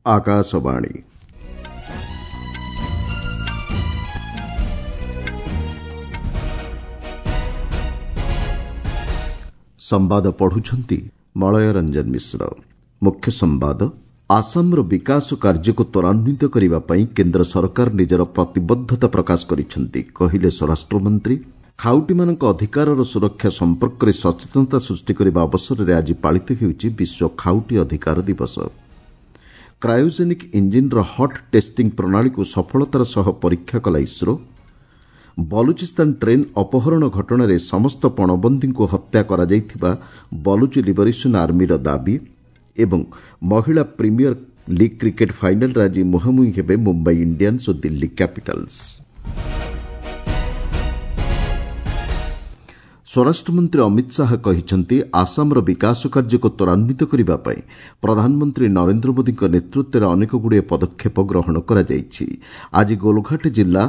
ଆକାଶବାଣୀ। ସମ୍ବାଦ ପଢୁଛନ୍ତି ମଳୟ ରଞ୍ଜନ ମିଶ୍ର। ମୁଖ୍ୟ ସମ୍ବାଦ, ଆସାମର ବିକାଶ କାର୍ଯ୍ୟକୁ ତ୍ୱରାନ୍ୱିତ କରିବା ପାଇଁ କେନ୍ଦ୍ର ସରକାର ନିଜର ପ୍ରତିବଦ୍ଧତା ପ୍ରକାଶ କରିଛନ୍ତି, କହିଲେ ସ୍ୱରାଷ୍ଟ୍ରମନ୍ତ୍ରୀ। ଖାଉଟିମାନଙ୍କ ଅଧିକାରର ସୁରକ୍ଷା ସମ୍ପର୍କରେ ସଚେତନତା ସୃଷ୍ଟି କରିବା ଅବସରରେ ଆଜି ପାଳିତ ହେଉଛି ବିଶ୍ୱ ଖାଉଟି ଅଧିକାର ଦିବସ। କ୍ରାୟୋଜେନିକ୍ ଇଞ୍ଜିନ୍ର ହଟ୍ ଟେଷ୍ଟିଂ ପ୍ରଣାଳୀକୁ ସଫଳତାର ସହ ପରୀକ୍ଷା କଲା ଇସ୍ରୋ। ବଲୁଚିସ୍ତାନ ଟ୍ରେନ୍ ଅପହରଣ ଘଟଣାରେ ସମସ୍ତ ପଣବନ୍ଦୀଙ୍କୁ ହତ୍ୟା କରାଯାଇଥିବା ବଲୁଚି ଲିବରେସନ୍ ଆର୍ମିର ଦାବି। ଏବଂ ମହିଳା ପ୍ରିମିୟର ଲିଗ୍ କ୍ରିକେଟ୍ ଫାଇନାଲ୍ରେ ଆଜି ମୁହାଁମୁହିଁ ହେବେ ମୁମ୍ବାଇ ଇଣ୍ଡିଆନ୍ସ ଓ ଦିଲ୍ଲୀ କ୍ୟାପିଟାଲ୍ସ। ସ୍ୱରାଷ୍ଟ୍ରମନ୍ତ୍ରୀ ଅମିତ ଶାହା କହିଛନ୍ତି, ଆସାମର ବିକାଶ କାର୍ଯ୍ୟକୁ ତ୍ୱରାନ୍ୱିତ କରିବା ପାଇଁ ପ୍ରଧାନମନ୍ତ୍ରୀ ନରେନ୍ଦ୍ର ମୋଦିଙ୍କ ନେତୃତ୍ୱରେ ଅନେକଗୁଡ଼ିଏ ପଦକ୍ଷେପ ଗ୍ରହଣ କରାଯାଇଛି। ଆଜି ଗୋଲଘାଟ ଜିଲ୍ଲା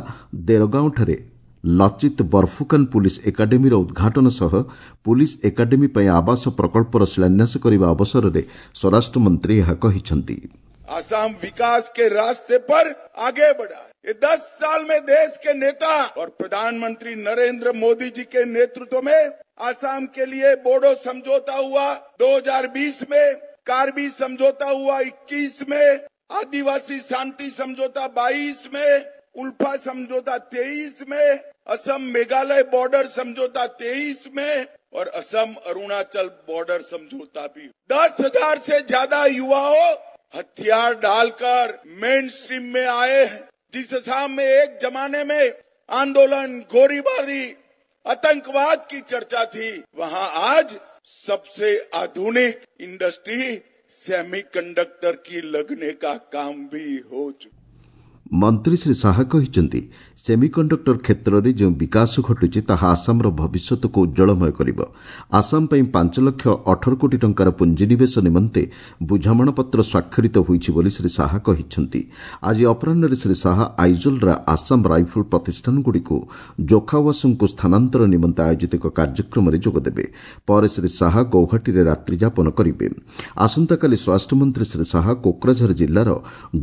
ଦେରଗାଓଁଠାରେ ଲଚିତ ବର୍ଫୁକାନ ପୁଲିସ୍ ଏକାଡେମୀର ଉଦ୍ଘାଟନ ସହ ପୁଲିସ୍ ଏକାଡେମୀ ପାଇଁ ଆବାସ ପ୍ରକଳ୍ପର ଶିଳାନ୍ୟାସ କରିବା ଅବସରରେ ସ୍ୱରାଷ୍ଟ୍ରମନ୍ତ୍ରୀ ଏହା କହିଛନ୍ତି। आसाम विकास के रास्ते पर आगे बढ़ा। ये 10 साल में देश के नेता और प्रधानमंत्री नरेंद्र मोदी जी के नेतृत्व में आसाम के लिए बोडो समझौता हुआ 2020 में, कार्बी समझौता हुआ 21 में, आदिवासी शांति समझौता 22 में, उल्फा समझौता 23 में, असम मेघालय बॉर्डर समझौता 23 में और असम अरुणाचल बॉर्डर समझौता भी। 10,000 से ज्यादा युवाओं हथियार डालकर मेन स्ट्रीम में आए हैं। जिस असम में एक जमाने में आंदोलन, गोलीबारी, आतंकवाद की चर्चा थी, वहां आज सबसे आधुनिक इंडस्ट्री सेमीकंडक्टर की लगने का काम भी हो चुका। ମନ୍ତ୍ରୀ ଶ୍ରୀ ଶାହା କହିଛନ୍ତି, ସେମିକଣ୍ଡକ୍ଟର କ୍ଷେତ୍ରରେ ଯେଉଁ ବିକାଶ ଘଟୁଛି ତାହା ଆସାମର ଭବିଷ୍ୟତକୁ ଉଜ୍ଜ୍ୱଳମୟ କରିବ। ଆସାମ ପାଇଁ 5 ଲକ୍ଷ 18 କୋଟି ଟଙ୍କାର ପୁଞ୍ଜିନିବେଶ ନିମନ୍ତେ ବୁଝାମଣାପତ୍ର ସ୍ୱାକ୍ଷରିତ ହୋଇଛି ବୋଲି ଶ୍ରୀ ଶାହା କହିଛନ୍ତି। ଆଜି ଅପରାହ୍ନରେ ଶ୍ରୀ ଶାହା ଆଇଜୋଲ୍ର ଆସାମ ରାଇଫଲ୍ ପ୍ରତିଷ୍ଠାନଗୁଡ଼ିକୁ ଜୋଖାୱାସଙ୍କୁ ସ୍ଥାନାନ୍ତର ନିମନ୍ତେ ଆୟୋଜିତ ଏକ କାର୍ଯ୍ୟକ୍ରମରେ ଯୋଗଦେବେ। ପରେ ଶ୍ରୀ ଶାହା ଗୌହାଟୀରେ ରାତ୍ରିଯାପନ କରିବେ। ଆସନ୍ତାକାଲି ସ୍ୱରାଷ୍ଟ୍ରମନ୍ତ୍ରୀ ଶ୍ରୀ ଶାହା କୋକ୍ରାଝର ଜିଲ୍ଲାର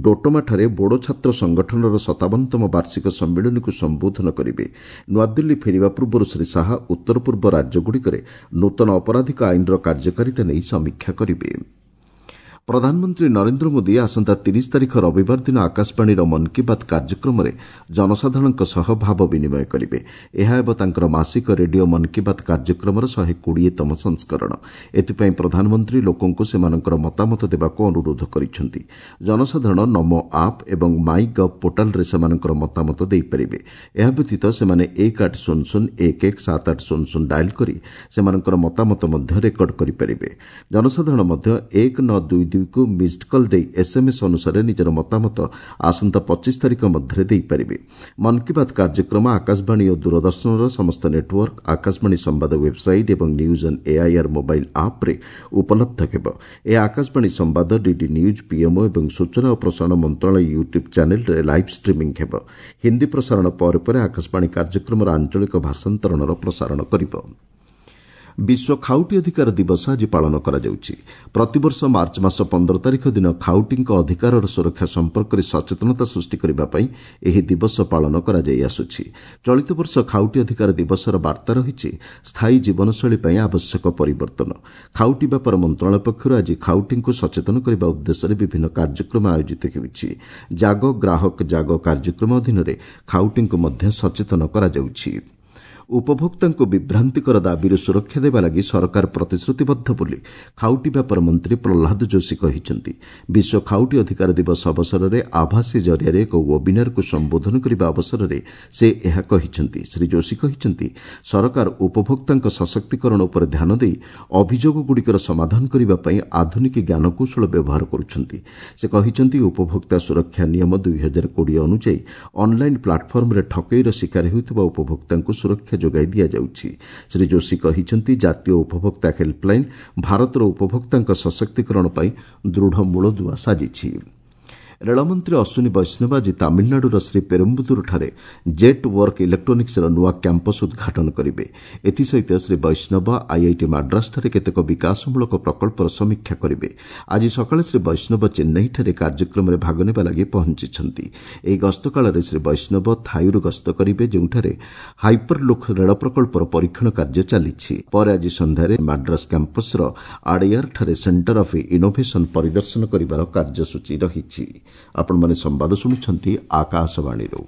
ଡୋଟମାଠାରେ ବୋଡୋ ଛାତ୍ର ସଂଗଠନର 57ତମ ବାର୍ଷିକ ସମ୍ମିଳନୀକୁ ସମ୍ବୋଧନ କରିବେ। ନୂଆଦିଲ୍ଲୀ ଫେରିବା ପୂର୍ବରୁ ଶ୍ରୀ ଶାହା ଉତ୍ତର ପୂର୍ବ ରାଜ୍ୟଗୁଡ଼ିକରେ ନୂତନ ଅପରାଧିକ ଆଇନର କାର୍ଯ୍ୟକାରିତା ନେଇ ସମୀକ୍ଷା କରିବେ। ପ୍ରଧାନମନ୍ତ୍ରୀ ନରେନ୍ଦ୍ର ମୋଦି ଆସନ୍ତା 30 ତାରିଖ ରବିବାର ଦିନ ଆକାଶବାଣୀର ମନ୍ କି ବାତ୍ କାର୍ଯ୍ୟକ୍ରମରେ ଜନସାଧାରଣଙ୍କ ସହ ଭାବ ବିନିମୟ କରିବେ। ଏହା ହେବ ତାଙ୍କର ମାସିକ ରେଡିଓ ମନ୍ କି ବାତ୍ କାର୍ଯ୍ୟକ୍ରମର 120ତମ ସଂସ୍କରଣ। ଏଥିପାଇଁ ପ୍ରଧାନମନ୍ତ୍ରୀ ଲୋକଙ୍କୁ ସେମାନଙ୍କର ମତାମତ ଦେବାକୁ ଅନୁରୋଧ କରିଛନ୍ତି। ଜନସାଧାରଣ ନମୋ ଆପ୍ ଏବଂ ମାଇ ଗଭ୍ ପୋର୍ଟାଲରେ ସେମାନଙ୍କର ମତାମତ ଦେଇପାରିବେ। ଏହା ବ୍ୟତୀତ ସେମାନେ 1800 11 7800 ଡାଏଲ୍ କରି ସେମାନଙ୍କର ମତାମତ ମଧ୍ୟ ରେକର୍ଡ କରିପାରିବେ। ଜନସାଧାରଣ ମଧ୍ୟ 1922 କୁ ମିସ୍ଡ କଲ୍ ଦେଇ ଏସ୍ଏମ୍ଏସ୍ ଅନୁସାରେ ନିଜର ମତାମତ ଆସନ୍ତା 25 ତାରିଖ ମଧ୍ୟରେ ଦେଇପାରିବେ। ମନ୍ କି ବାତ୍ କାର୍ଯ୍ୟକ୍ରମ ଆକାଶବାଣୀ ଓ ଦୂରଦର୍ଶନର ସମସ୍ତ ନେଟୱାର୍କ, ଆକାଶବାଣୀ ସମ୍ବାଦ ୱେବ୍ସାଇଟ୍ ଏବଂ ନ୍ୟୁଜ୍ ଅନ୍ ଏଆଇଆର୍ ମୋବାଇଲ୍ ଆପ୍ରେ ଉପଲବ୍ଧ ହେବ। ଏହା ଆକାଶବାଣୀ ସମ୍ବାଦ, ଡିଡି ନ୍ୟୁଜ୍, ପିଏମ୍ଓ ଏବଂ ସୂଚନା ଓ ପ୍ରସାରଣ ମନ୍ତ୍ରଣାଳୟ ୟୁଟ୍ୟୁବ୍ ଚ୍ୟାନେଲ୍ରେ ଲାଇଭ୍ ଷ୍ଟ୍ରିମିଂ ହେବ। ହିନ୍ଦୀ ପ୍ରସାରଣ ପରେ ପରେ ଆକାଶବାଣୀ କାର୍ଯ୍ୟକ୍ରମର ଆଞ୍ଚଳିକ ଭାଷାନ୍ତରଣର ପ୍ରସାରଣ କରିବ। ବିଶ୍ୱ ଖାଉଟି ଅଧିକାର ଦିବସ ଆଜି ପାଳନ କରାଯାଉଛି। ପ୍ରତିବର୍ଷ ମାର୍ଚ୍ଚ ମାସ 15 ତାରିଖ ଦିନ ଖାଉଟିଙ୍କ ଅଧିକାରର ସୁରକ୍ଷା ସମ୍ପର୍କରେ ସଚେତନତା ସୃଷ୍ଟି କରିବା ପାଇଁ ଏହି ଦିବସ ପାଳନ କରାଯାଇ ଆସୁଛି। ଚଳିତ ବର୍ଷ ଖାଉଟି ଅଧିକାର ଦିବସର ବାର୍ତ୍ତା ରହିଛି ସ୍ଥାୟୀ ଜୀବନଶୈଳୀ ପାଇଁ ଆବଶ୍ୟକ ପରିବର୍ତ୍ତନ। ଖାଉଟି ବ୍ୟାପାର ମନ୍ତ୍ରଣାଳୟ ପକ୍ଷରୁ ଆଜି ଖାଉଟିଙ୍କୁ ସଚେତନ କରିବା ଉଦ୍ଦେଶ୍ୟରେ ବିଭିନ୍ନ କାର୍ଯ୍ୟକ୍ରମ ଆୟୋଜିତ ହେଉଛି। ଜାଗ ଗ୍ରାହକ ଜାଗ କାର୍ଯ୍ୟକ୍ରମ ଅଧୀନରେ ଖାଉଟିଙ୍କୁ ମଧ୍ୟ ସଚେତନ କରାଯାଉଛି। ଉପଭୋକ୍ତାଙ୍କୁ ବିଭ୍ରାନ୍ତିକର ଦାବିରୁ ସୁରକ୍ଷା ଦେବା ଲାଗି ସରକାର ପ୍ରତିଶ୍ରୁତିବଦ୍ଧ ବୋଲି ଖାଉଟି ବ୍ୟାପାର ମନ୍ତ୍ରୀ ପ୍ରହ୍ଲାଦ ଯୋଶୀ କହିଛନ୍ତି। ବିଶ୍ୱ ଖାଉଟି ଅଧିକାର ଦିବସ ଅବସରରେ ଆଭାସୀ ଜରିଆରେ ଏକ ୱେବିନାରକୁ ସମ୍ବୋଧନ କରିବା ଅବସରରେ ସେ ଏହା କହିଛନ୍ତି। ଶ୍ରୀ ଯୋଶୀ କହିଛନ୍ତି, ସରକାର ଉପଭୋକ୍ତାଙ୍କ ସଶକ୍ତିକରଣ ଉପରେ ଧ୍ୟାନ ଦେଇ ଅଭିଯୋଗଗୁଡ଼ିକର ସମାଧାନ କରିବା ପାଇଁ ଆଧୁନିକ ଜ୍ଞାନକୌଶଳ ବ୍ୟବହାର କରୁଛନ୍ତି। ସେ କହିଛନ୍ତି, ଉପଭୋକ୍ତା ସୁରକ୍ଷା ନିୟମ 2020 ଅନୁଯାୟୀ ଅନ୍ଲାଇନ୍ ପ୍ଲାଟଫର୍ମରେ ଠକେଇର ଶିକାର ହେଉଥିବା ଉପଭୋକ୍ତାଙ୍କୁ ସୁରକ୍ଷା ଯୋଗାଇ ଦିଆଯାଉଛି। ଶ୍ରୀ ଯୋଶୀ କହିଛନ୍ତି, ଜାତୀୟ ଉପଭୋକ୍ତା ହେଲ୍ପଲାଇନ୍ ଭାରତର ଉପଭୋକ୍ତାଙ୍କ ସଶକ୍ତିକରଣ ପାଇଁ ଦୃଢ଼ ମୂଳଦୁଆ ସାଜିଛି। ରେଳମନ୍ତ୍ରୀ ଅଶ୍ୱିନୀ ବୈଷ୍ଣବ ଆଜି ତାମିଲନାଡୁର ଶ୍ରୀ ପେରୁମ୍ବୁଦୁରଠାରେ ଜେଟ୍ ୱାର୍କ ଇଲେକ୍ଟ୍ରୋନିକ୍ସର ନୂଆ କ୍ୟାମ୍ପସ୍ ଉଦ୍ଘାଟନ କରିବେ। ଏଥିସହିତ ଶ୍ରୀ ବୈଷ୍ଣବ ଆଇଆଇଟି ମାଡ୍ରାସଠାରେ କେତେକ ବିକାଶମୂଳକ ପ୍ରକଳ୍ପର ସମୀକ୍ଷା କରିବେ। ଆଜି ସକାଳେ ଶ୍ରୀ ବୈଷ୍ଣବ ଚେନ୍ନାଇଠାରେ କାର୍ଯ୍ୟକ୍ରମରେ ଭାଗ ନେବା ଲାଗି ପହଞ୍ଚିଛନ୍ତି। ଏହି ଗସ୍ତ କାଳରେ ଶ୍ରୀ ବୈଷ୍ଣବ ଥାୟୁରୁ ଗସ୍ତ କରିବେ, ଯେଉଁଠାରେ ହାଇପରଲୁକ୍ ରେଳ ପ୍ରକଳ୍ପର ପରୀକ୍ଷଣ କାର୍ଯ୍ୟ ଚାଲିଛି। ପରେ ଆଜି ସନ୍ଧ୍ୟାରେ ମାଡ୍ରାସ କ୍ୟାମ୍ପସ୍ର ଆଡେୟାରଠାରେ ସେଣ୍ଟର ଅଫ୍ ଇନୋଭେସନ୍ ପରିଦର୍ଶନ କରିବାର କାର୍ଯ୍ୟସୂଚୀ ରହିଛି। ଆପଣମାନେ ସମ୍ବାଦ ଶୁଣୁଛନ୍ତି ଆକାଶବାଣୀରୁ।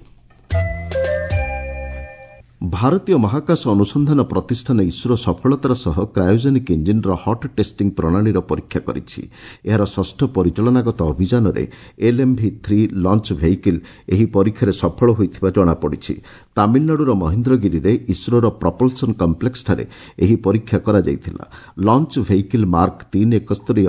ଭାରତୀୟ ମହାକାଶ ଅନୁସନ୍ଧାନ ପ୍ରତିଷ୍ଠାନ ଇସ୍ରୋ ସଫଳତାର ସହ କ୍ରାୟୋଜେନିକ୍ ଇଞ୍ଜିନ୍ର ହଟ୍ ଟେଷ୍ଟିଂ ପ୍ରଣାଳୀର ପରୀକ୍ଷା କରିଛି। ଏହାର ଷଷ୍ଠ ପରିଚାଳନାଗତ ଅଭିଯାନରେ ଏଲ୍ଏମ୍ଭି 3 ଲଞ୍ଚ ଭେହିକିଲ୍ ଏହି ପରୀକ୍ଷାରେ ସଫଳ ହୋଇଥିବା ଜଣାପଡ଼ିଛି। ତାମିଲନାଡୁର ମହେନ୍ଦ୍ରଗିରିରେ ଇସ୍ରୋର ପ୍ରପଲ୍ସନ୍ କମ୍ପ୍ଲେକ୍ସଠାରେ ଏହି ପରୀକ୍ଷା କରାଯାଇଥିଲା। ଲଞ୍ଚ ଭେହିକିଲ୍ ମାର୍କ 3 ଏକସ୍ତରୀୟ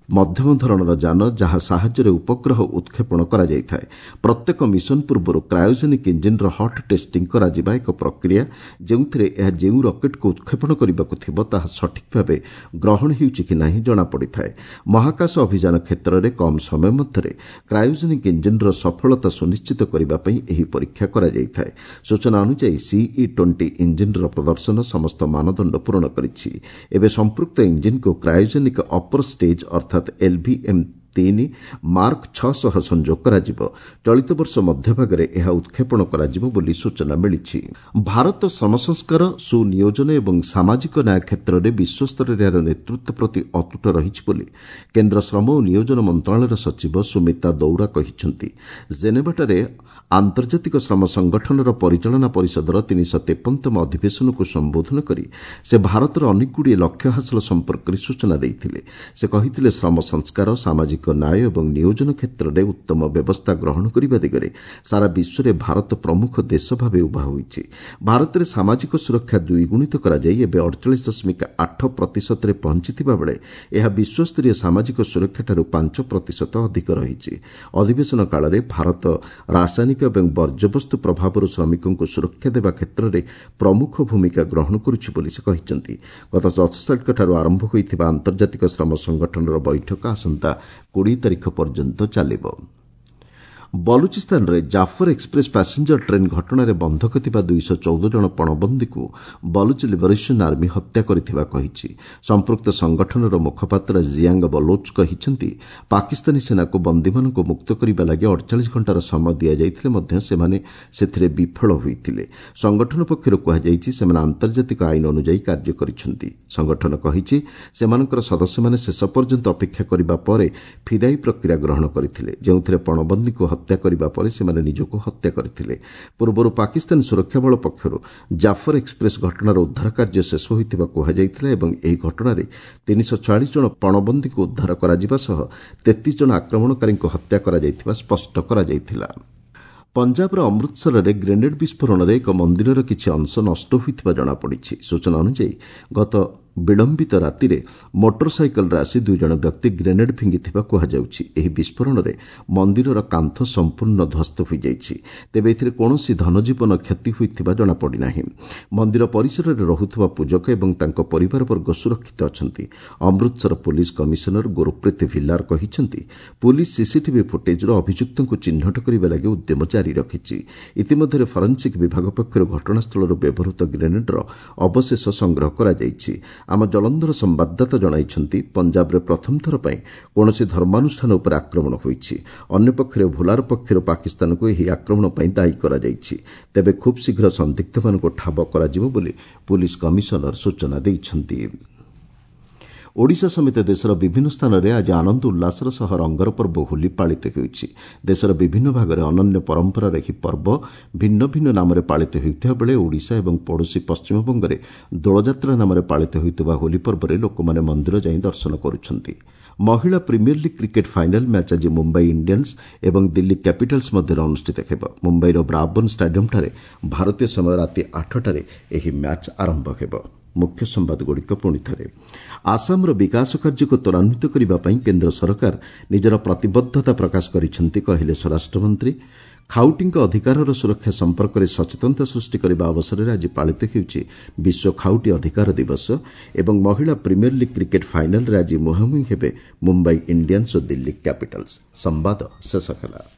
ମଧ୍ୟମ ଧରଣର ଯାନ, ଯାହା ସାହାଯ୍ୟରେ ଉପଗ୍ରହ ଉତ୍କ୍ଷେପଣ କରାଯାଇଥାଏ। ପ୍ରତ୍ୟେକ ମିଶନ ପୂର୍ବରୁ କ୍ରାୟୋଜେନିକ୍ ଇଞ୍ଜିନ୍ର ହଟ୍ ଟେଷ୍ଟିଂ କରାଯିବା ଏକ ପ୍ରକ୍ରିୟା, ଯେଉଁଥିରେ ଏହା ଯେଉଁ ରକେଟ୍କୁ ଉତ୍କ୍ଷେପଣ କରିବାକୁ ଥିବ ତାହା ସଠିକ୍ ଭାବେ ଗ୍ରହଣ ହେଉଛି କି ନାହିଁ ଜଣାପଡ଼ିଥାଏ। ମହାକାଶ ଅଭିଯାନ କ୍ଷେତ୍ରରେ କମ୍ ସମୟ ମଧ୍ୟରେ କ୍ରାୟୋଜେନିକ୍ ଇଞ୍ଜିନ୍ର ସଫଳତା ସୁନିଶ୍ଚିତ କରିବା ପାଇଁ ଏହି ପରୀକ୍ଷା କରାଯାଇଥାଏ। ସୂଚନା ଅନୁଯାୟୀ ସିଇ 20 ଇଞ୍ଜିନ୍ର ପ୍ରଦର୍ଶନ ସମସ୍ତ ମାନଦଣ୍ଡ ପୂରଣ କରିଛି। ଏବେ ସମ୍ପୃକ୍ତ ଇଞ୍ଜିନ୍କୁ କ୍ରାୟୋଜେନିକ୍ ଅପର ଷ୍ଟେଜ୍ ଅର୍ଥାତ୍ ଏଲ୍ଭିଏମ୍ 3 ମାର୍କ 6 ସହ ସଂଯୋଗ କରାଯିବ। ଚଳିତ ବର୍ଷ ମଧ୍ୟଭାଗରେ ଏହା ଉତ୍କ୍ଷେପଣ କରାଯିବ ବୋଲି ସୂଚନା ମିଳିଛି। ଭାରତ ଶ୍ରମ ସଂସ୍କାର, ସୁନିୟୋଜନ ଏବଂ ସାମାଜିକ ନ୍ୟାୟ କ୍ଷେତ୍ରରେ ବିଶ୍ୱସ୍ତରରେ ଏହାର ନେତୃତ୍ୱ ପ୍ରତି ଅତୁଟ ରହିଛି ବୋଲି କେନ୍ଦ୍ର ଶ୍ରମ ଓ ନିୟୋଜନ ମନ୍ତ୍ରଣାଳୟର ସଚିବ ସୁମିତା ଦୌରା କହିଛନ୍ତି। ଜେନେଭାଠାରେ ଆନ୍ତର୍ଜାତିକ ଶ୍ରମ ସଂଗଠନର ପରିଚାଳନା ପରିଷଦର 353ତମ ଅଧିବେଶନକୁ ସମ୍ବୋଧନ କରି ସେ ଭାରତର ଅନେକଗୁଡ଼ିଏ ଲକ୍ଷ୍ୟ ହାସଲ ସମ୍ପର୍କରେ ସୂଚନା ଦେଇଥିଲେ। ସେ କହିଥିଲେ, ଶ୍ରମ ସଂସ୍କାର, ସାମାଜିକ ନ୍ୟାୟ ଏବଂ ନିୟୋଜନ କ୍ଷେତ୍ରରେ ଉତ୍ତମ ବ୍ୟବସ୍ଥା ଗ୍ରହଣ କରିବା ଦିଗରେ ସାରା ବିଶ୍ୱରେ ଭାରତ ପ୍ରମୁଖ ଦେଶ ଭାବେ ଉଭା ହୋଇଛି। ଭାରତରେ ସାମାଜିକ ସୁରକ୍ଷା ଦ୍ୱିଗୁଣିତ କରାଯାଇ ଏବେ 48.8 ପ୍ରତିଶତରେ ପହଞ୍ଚିଥିବା ବେଳେ ଏହା ବିଶ୍ୱସ୍ତରୀୟ ସାମାଜିକ ସୁରକ୍ଷାଠାରୁ 5 ପ୍ରତିଶତ ଅଧିକ ରହିଛି। ଅଧିବେଶନ କାଳରେ ଭାରତ ରାସାୟନିକ ଏବଂ ବର୍ଜ୍ୟବସ୍ତୁ ପ୍ରଭାବରୁ ଶ୍ରମିକଙ୍କୁ ସୁରକ୍ଷା ଦେବା କ୍ଷେତ୍ରରେ ପ୍ରମୁଖ ଭୂମିକା ଗ୍ରହଣ କରୁଛି ବୋଲି ସେ କହିଛନ୍ତି। ଗତ 10 ତାରିଖଠାରୁ ଆରମ୍ଭ ହୋଇଥିବା ଆନ୍ତର୍ଜାତିକ ଶ୍ରମ ସଂଗଠନର ବୈଠକ ଆସନ୍ତା 20 ତାରିଖ ପର୍ଯ୍ୟନ୍ତ ଚାଲିବ। ବଲୁଚିସ୍ତାନରେ ଜାଫର ଏକ୍ସପ୍ରେସ୍ ପାସେଞ୍ଜର ଟ୍ରେନ୍ ଘଟଣାରେ ବନ୍ଧକ ଥିବା 214 ଜଣ ପଣବନ୍ଦୀକୁ ବଲୁଚ ଲିବରେସନ୍ ଆର୍ମି ହତ୍ୟା କରିଥିବା କହିଛି। ସମ୍ପୃକ୍ତ ସଂଗଠନର ମୁଖପାତ୍ର ଜିଆଙ୍ଗ ବଲୋଚ କହିଛନ୍ତି, ପାକିସ୍ତାନୀ ସେନାକୁ ବନ୍ଦୀମାନଙ୍କୁ ମୁକ୍ତ କରିବା ଲାଗି 48 ଘଣ୍ଟାର ସମୟ ଦିଆଯାଇଥିଲେ ମଧ୍ୟ ସେମାନେ ସେଥିରେ ବିଫଳ ହୋଇଥିଲେ। ସଂଗଠନ ପକ୍ଷରୁ କୁହାଯାଇଛି, ସେମାନେ ଆନ୍ତର୍ଜାତିକ ଆଇନ ଅନୁଯାୟୀ କାର୍ଯ୍ୟ କରିଛନ୍ତି। ସଂଗଠନ କହିଛି, ସେମାନଙ୍କର ସଦସ୍ୟମାନେ ଶେଷ ପର୍ଯ୍ୟନ୍ତ ଅପେକ୍ଷା କରିବା ପରେ ଫିଦାଇ ପ୍ରକ୍ରିୟା ଗ୍ରହଣ କରିଥିଲେ, ଯେଉଁଥିରେ ପଣବନ୍ଦୀଙ୍କୁ ହତ୍ୟା କରିବା ପରେ ସେମାନେ ନିଜକୁ ହତ୍ୟା କରିଥିଲେ। ପୂର୍ବରୁ ପାକିସ୍ତାନ ସୁରକ୍ଷା ବଳ ପକ୍ଷରୁ ଜାଫର ଏକ୍ସପ୍ରେସ୍ ଘଟଣାର ଉଦ୍ଧାର କାର୍ଯ୍ୟ ଶେଷ ହୋଇଥିବା କୁହାଯାଇଥିଲା ଏବଂ ଏହି ଘଟଣାରେ 346 ଜଣ ପଣବନ୍ଦୀଙ୍କୁ ଉଦ୍ଧାର କରାଯିବା ସହ 33 ଜଣ ଆକ୍ରମଣକାରୀଙ୍କୁ ହତ୍ୟା କରାଯାଇଥିବା ସ୍ପଷ୍ଟ କରାଯାଇଥିଲା। ପଞ୍ଜାବର ଅମୃତସରରେ ଗ୍ରେନେଡ୍ ବିସ୍ଫୋରଣରେ ଏକ ମନ୍ଦିରର କିଛି ଅଂଶ ନଷ୍ଟ ହୋଇଥିବା ଜଣାପଡ଼ିଛି। ସୂଚନା ଅନୁଯାୟୀ ଗତ ବିଳମ୍ବିତ ରାତିରେ ମୋଟର ସାଇକେଲରେ ଆସି 2 ଜଣ ବ୍ୟକ୍ତି ଗ୍ରେନେଡ୍ ଫିଙ୍ଗିଥିବା କୁହାଯାଉଛି। ଏହି ବିସ୍ଫୋରଣରେ ମନ୍ଦିରର କାନ୍ଥ ସମ୍ପୂର୍ଣ୍ଣ ଧ୍ୱସ୍ତ ହୋଇଯାଇଛି। ତେବେ ଏଥିରେ କୌଣସି ଧନଜୀବନ କ୍ଷତି ହୋଇଥିବା ଜଣାପଡ଼ିନାହିଁ। ମନ୍ଦିର ପରିସରରେ ରହୁଥିବା ପୂଜକ ଏବଂ ତାଙ୍କ ପରିବାରବର୍ଗ ସୁରକ୍ଷିତ ଅଛନ୍ତି। ଅମୃତସର ପୁଲିସ୍ କମିଶନର ଗୁରୁପ୍ରୀତ ଭିଲ୍ଲାର କହିଛନ୍ତି, ପୁଲିସ୍ ସିସିଟିଭି ଫୁଟେଜ୍ରୁ ଅଭିଯୁକ୍ତଙ୍କୁ ଚିହ୍ନଟ କରିବା ଲାଗି ଉଦ୍ୟମ ଜାରି ରଖିଛି। ଇତିମଧ୍ୟରେ ଫରେନ୍ସିକ୍ ବିଭାଗ ପକ୍ଷରୁ ଘଟଣାସ୍ଥଳରୁ ବ୍ୟବହୃତ ଗ୍ରେନେଡ୍ର ଅବଶେଷ ସଂଗ୍ରହ କରାଯାଇଛି। ଆମ ଜଳନ୍ଧର ସମ୍ବାଦଦାତା ଜଣାଇଛନ୍ତି, ପଞ୍ଜାବରେ ପ୍ରଥମ ଥର ପାଇଁ କୌଣସି ଧର୍ମାନୁଷ୍ଠାନ ଉପରେ ଆକ୍ରମଣ ହୋଇଛି। ଅନ୍ୟପକ୍ଷରେ ଭୁଲାର ପକ୍ଷରୁ ପାକିସ୍ତାନକୁ ଏହି ଆକ୍ରମଣ ପାଇଁ ଦାୟୀ କରାଯାଇଛି। ତେବେ ଖୁବ୍ ଶୀଘ୍ର ସନ୍ଦିଗ୍ଧମାନଙ୍କୁ ଠାବ କରାଯିବ ବୋଲି ପୁଲିସ୍ କମିଶନର ସୂଚନା ଦେଇଛନ୍ତି। ଓଡ଼ିଶା ସମେତ ଦେଶର ବିଭିନ୍ନ ସ୍ଥାନରେ ଆଜି ଆନନ୍ଦ ଉଲ୍ଲାସର ସହ ରଙ୍ଗର ପର୍ବ ହୋଲି ପାଳିତ ହେଉଛି। ଦେଶର ବିଭିନ୍ନ ଭାଗରେ ଅନନ୍ୟ ପରମ୍ପରାର ଏହି ପର୍ବ ଭିନ୍ନ ଭିନ୍ନ ନାମରେ ପାଳିତ ହେଉଥିବା ବେଳେ ଓଡ଼ିଶା ଏବଂ ପଡ଼ୋଶୀ ପଶ୍ଚିମବଙ୍ଗରେ ଦୋଳଯାତ୍ରା ନାମରେ ପାଳିତ ହେଉଥିବା ହୋଲି ପର୍ବରେ ଲୋକମାନେ ମନ୍ଦିର ଯାଇ ଦର୍ଶନ କରୁଛନ୍ତି। ମହିଳା premier league cricket final match ଆଜି ମୁମ୍ବାଇ ଇଣ୍ଡିଆନ୍ସ ଏବଂ ଦିଲ୍ଲୀ କ୍ୟାପିଟାଲ୍ସ ମଧ୍ୟରେ ଅନୁଷ୍ଠିତ ହେବ। ମୁମ୍ବାଇର ବ୍ରାବର୍ଣ୍ଣ ଷ୍ଟାଡିୟମ୍ଠାରେ ଭାରତୀୟ ସମୟ ରାତି 8ଟାରେ ଏହି ମ୍ୟାଚ୍ ଆରମ୍ଭ ହେବ। ମୁଖ୍ୟ ସମ୍ବାଦଗୁଡ଼ିକ ପୁଣି ଥରେ। ଆସାମର ବିକାଶ କାର୍ଯ୍ୟକୁ ତ୍ୱରାନ୍ୱିତ କରିବା ପାଇଁ କେନ୍ଦ୍ର ସରକାର ନିଜର ପ୍ରତିବଦ୍ଧତା ପ୍ରକାଶ କରିଛନ୍ତି, କହିଲେ ସ୍ୱରାଷ୍ଟ୍ରମନ୍ତ୍ରୀ। ଖାଉଟିଙ୍କ ଅଧିକାରର ସୁରକ୍ଷା ସମ୍ପର୍କରେ ସଚେତନତା ସୃଷ୍ଟି କରିବା ଅବସରରେ ଆଜି ପାଳିତ ହେଉଛି ବିଶ୍ୱ ଖାଉଟି ଅଧିକାର ଦିବସ। ଏବଂ ମହିଳା ପ୍ରିମିୟର ଲିଗ୍ କ୍ରିକେଟ୍ ଫାଇନାଲ୍ରେ ଆଜି ମୁହାଁମୁହିଁ ହେବେ ମୁମ୍ବାଇ ଇଣ୍ଡିଆନ୍ସ ଓ ଦିଲ୍ଲୀ କ୍ୟାପିଟାଲ୍ସ। ସମ୍ବାଦ ଶେଷ ହେଲା।